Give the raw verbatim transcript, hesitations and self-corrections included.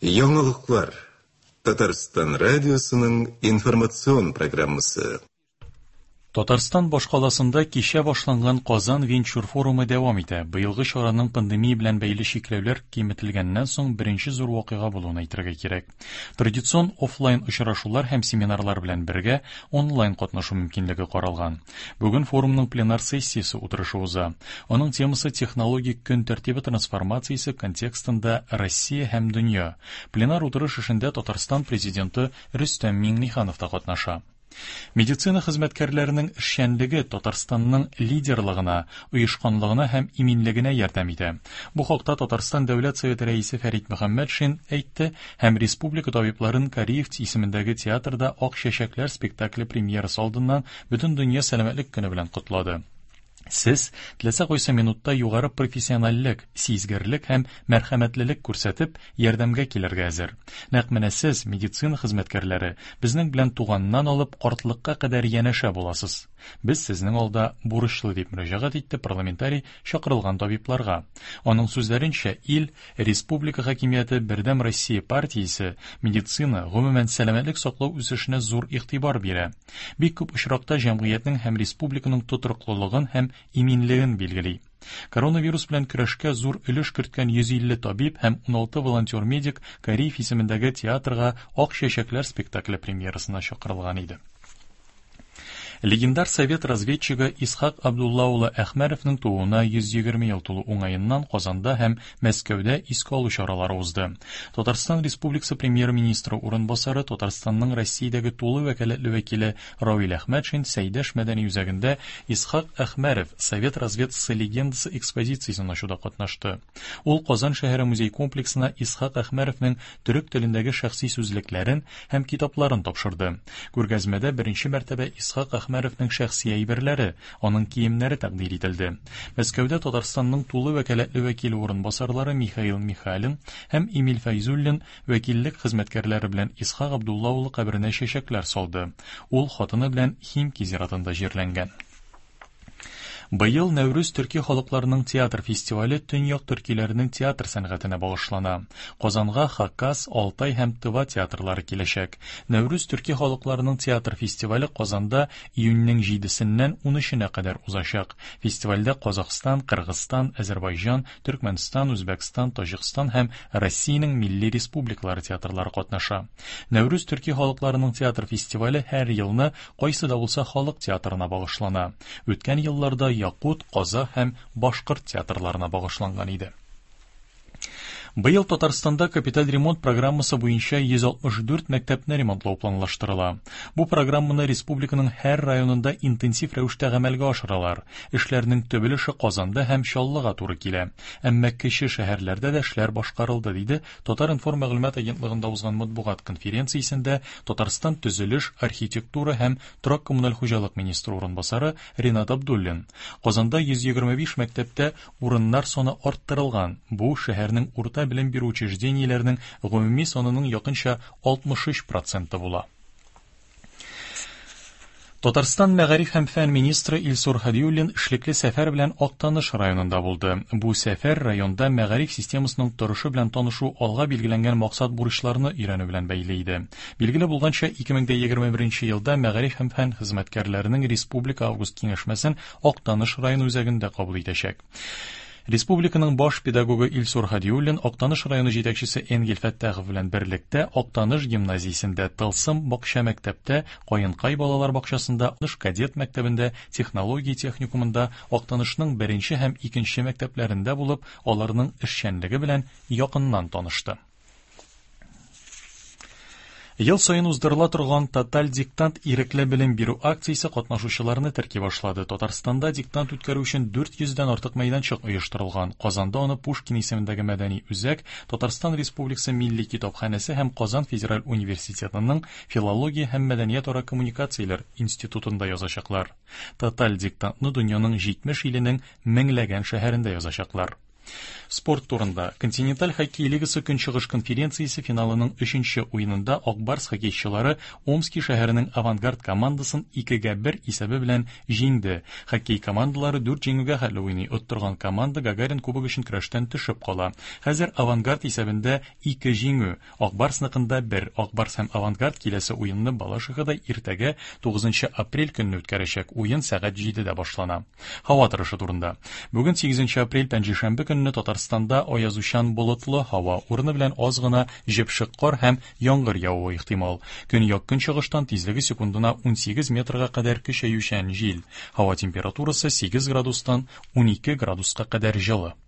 Яңалыклар. Татарстан радиосының информацион программасы. Татарстан башкаласында кичә башланган Казан венчур форумы дәвам итә. Быелгы чараның пандемия белән бәйле чикләүләр киметелгәннән соң беренче зур вакыйга булуын әйтергә кирәк. Традицион офлайн очрашулар һәм семинарлар белән бергә онлайн катнашу мөмкинлеге каралган. Бүген форумның пленар сессиясе утырышы уза. Аның темасы технологик көн тәртибе трансформациясе контекстында Россия һәм дөнья. Пленар утырыш эшендә Татарстан президенты Рөстәм Миңнеханов та катнаша. Медицина хезмәткәрләренең эшчәнлеге Татарстанның лидерлыгына, оешканлыгына һәм иминлегенә ярдәм итә. Бу хакта Татарстан Дәүләт Советы рәисе Фәрит Мөхәммәтшин әйтте һәм республика табибларын Кариев исемендәге театрда Ак чәчәкләр спектакле премьерасы алдыннан Бөтендөнья сәламәтлек көне белән котлады. Сез теләсә кайсы минутта югары профессиональлек, сизгерлек һәм мәрхәмәтлелек күрсәтеп, ярдәмгә килергә әзер. Нәкъ менә сез, медицина хезмәткәрләре, безнең белән туганнан алып картлыкка кадәр янәшә буласыз. Без сезнең алда бурычлы, дип мөрәҗәгать итте парламентарий чакырылган табибларга. Аның сүзләренчә, ил, республика хакимияте, Бердәм Россия партиясе медицина, гомумән сәламәтлек саклау үсешенә зур игътибар бирә. Бик күп очракта җәмгыятьнең һәм республиканың тотрыклылыгын һәм иминлеген билгели. Коронавирус белән көрәшкә зур өлеш керткән йөз илле табиб һәм уналты волонтер-медик Кариев исемендәге театрга Ак чәчәкләр спектакле премьерасына чакырылган иде. Легендар совет разведчигы Исхак Абдулла улы Әхмәровның тууына йөз егерме ел тулу уңаеннан Казанда һәм Мәскәүдә искә алу чаралары узды. Татарстан Республикасы премьер-министры урынбасары, Татарстанның Россиядәге тулы вәкаләтле вәкиле Равил Әхмәтшин Сәйдәш мәдәни үзәгендә Исхак Әхмәров совет разведкасы легендасы экспозициясен ачуда катнашты. Ул Казан шәһәре музей комплексына Исхак Әхмәровның төрек телендәге шәхси сүзлекләрен һәм китапларын тапшырды. Күргәзмәдә беренче мәртәбә Исхак Әхмәровның шәхси әйберләре, аның киемнәре тәкъдир ителде. Мәскәүдә Татарстанның тулы вәкаләтле вәкиле урынбасарлары Михаил Михалин һәм Эмиль Фәйзуллин вәкиллек хезмәткәрләре белән Исхак Абдулла улы каберенә чәчәкләр салды. Ул хатыны белән Химки зиратында җирләнгән. Быел Нәүрүз төрки халыкларының театр фестивале төньяк төркиләренең театр сәнгатенә багышлана. Казанга Хакас, Алтай һәм Тыва театрлары киләчәк. Нәүрүз төрки халыкларының театр фестивале Казанда июньнең җидесеннән унөченә кадәр узачак. Фестивальдә Казахстан, Кыргызстан, Азербайҗан, Төркмәнстан, Үзбәкстан, Таҗикстан һәм Россиянең милли республикалары театрлары катнаша. Нәүрүз төрки халыкларының театр фестивале һәр елны кайсы да булса халык театрына багышлана. Үткән елларда Якут, Казах һәм Башкорт театрларына багышланган иде. Быел Татарстанда капиталь ремонт программасы буенча йөз алтмыш дүрт мәктәпне ремонтлау планлаштырыла. Бу программаны республиканың һәр районында интенсив рәвештә гамәлгә ашыралар. Эшләрнең төп өлеше Казанда һәм Чаллыга туры килә. Әмма кече шәһәрләрдә дә эшләр башкарылды, диде Татар-информ мәгълүмат агентлыгында узган матбугат конференциясендә Татарстан төзелеш, архитектура һәм торак коммуналь хуҗалык министры урынбасары Ринат Абдуллин. Казанда йөз егерме биш мәктәптә урыннар саны арттырылган. Бу шәһәрнең урта белем бирү учреждениеләренең гомуми санының якынча алтмыш өч проценты була. Татарстан мәгариф һәм фән министры Илсур Һадиуллин эшлекле сәфәр белән Актаныш районында булды. Бу сәфәр районда мәгариф системасының торышы белән танышу, алга билгеләнгән максат бурычларны өйрәнү белән бәйле иде. Билгеле булганча, ике мең дә егерме беренче елда мәгариф һәм фән хезмәткәрләренең республика август киңәшмәсен Актаныш районы үзәгендә кабул итәчәк. Республиканың баш педагогы Илсур Һадиуллин Актаныш районы җитәкчесе Энгель Фәттахов белән берлектә Актаныш гимназиясендә, Тылсым бакча мәктәптә, Каенкай балалар бакчасында, Актаныш кадет мәктәбендә, технология техникумында, Актанышның беренче һәм икенче мәктәпләрендә булып, аларның эшчәнлеге белән якыннан танышты. Ел саен уздырыла торган Тоталь диктант ирекле белем бирү акциясе катнашучыларны терки башлады. Татарстанда диктант үткәрү өчен дүрт йөздән артык мәйданчык оештырылган. Казанда аны Пушкин исемендәге мәдәни үзәк, Татарстан Республикасы Милли китапханәсе һәм Казан Федераль университетының Филология һәм мәдәниятара коммуникацияләр институтында язачаклар. Тоталь диктантны дөньяның җитмеш иленең меңләгән шәһәрендә язачаклар. Спорт турында. Континенталь хоккей лигасы Көнчыгыш конференциясе финалының өченче уенында Ак Барс хоккейчылары Омски шәһәренең Авангард командасын икегә бер исәбе белән җиңде. Хоккей командалары дүрт җиңүгә хәтле уйный. Оттырган команда Гагарин кубогы өчен көрәштән төшеп кала. Хәзер Авангард исәбендә ике җиңү, Ак Барсныкында бер. Ак Барс һәм Авангард киләсе уенны Балашихада иртәгә тугызынчы апрель көнне үткәрәчәк. Уен сәгать җидедә башлана. Һава торышы турында. Бүген сигезенче апрель пәнҗешәмбе көнне Татарстанда аязучан болытлы һава, урыны белән аз гына җепшек кар һәм яңгыр явуы ихтимал. Көньяк көнчыгыштан тизлеге секундына унсигез метрга кадәр көчәючән җил. Һава температурасы сигез градустан унике градуска кадәр җылы.